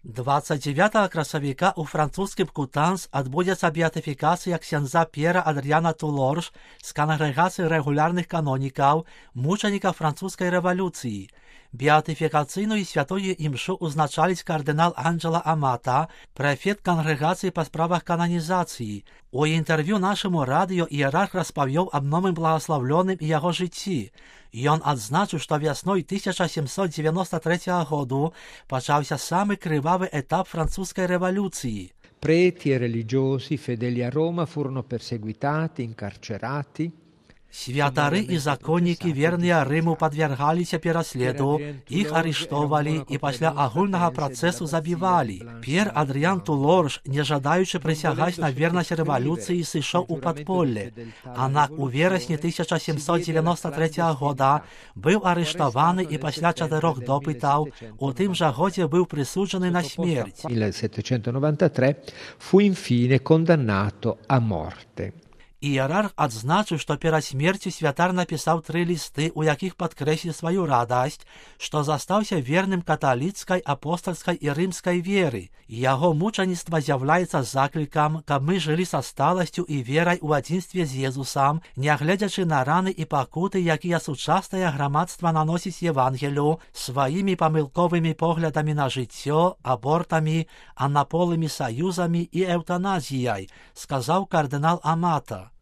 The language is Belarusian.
29 красавіка ў французскім Кутанс адбудзецца беатыфікацыя ксяндза П'ера Адрыяна Тулорж з кангрэгацыі рэгулярных канонікаў, мучанікаў французскай рэвалюцыі. Беатыфікацыйную святую імшу узначаліць кардынал Анджела Амата, прэфект кангрэгацыі па справах кананізацыі. У інтэрв'ю нашаму радыё іерарх распавёў аб новым благаслаўлёным і яго жыцці. Ён адзначыў, што вясной 1793 году пачаўся самы крывавы этап французскай рэвалюцыі. Preti e religiosi fedeli a Roma furono perseguitati, incarcerati. Святары і законнікі, верныя Рыму, падвяргаліся пераследу, іх арыштоўвалі і пасля агульнага працэсу забівалі. П'ер Адрыян Тулорж, не жадаючы прысягаць на вернасць рэвалюцыі, сышоў у падполле. Аднак у верасні 1793 года быў арыштаваны і пасля 4 допытаў у тым жа годзе быў прысуджаны на смерць. Il 793 fu infine condannato a morte. Іерарх адзначыў, што перад смерцю святар напісаў 3 лісты, у якіх падкрэсліў сваю радасць, што застаўся верным каталіцкай, апостальскай і рымскай веры. Яго мучаніцтва з'яўляецца заклікам, каб мы жылі са сталасцю і верай у адзінстве з Езусам, нягледзячы на раны і пакуты, якія сучаснае грамадства наносіць Евангелю сваімі памылковымі поглядамі на жыццё, абортамі, анаполымі саюзамі і эўтаназіяй, сказаў кардынал Амата.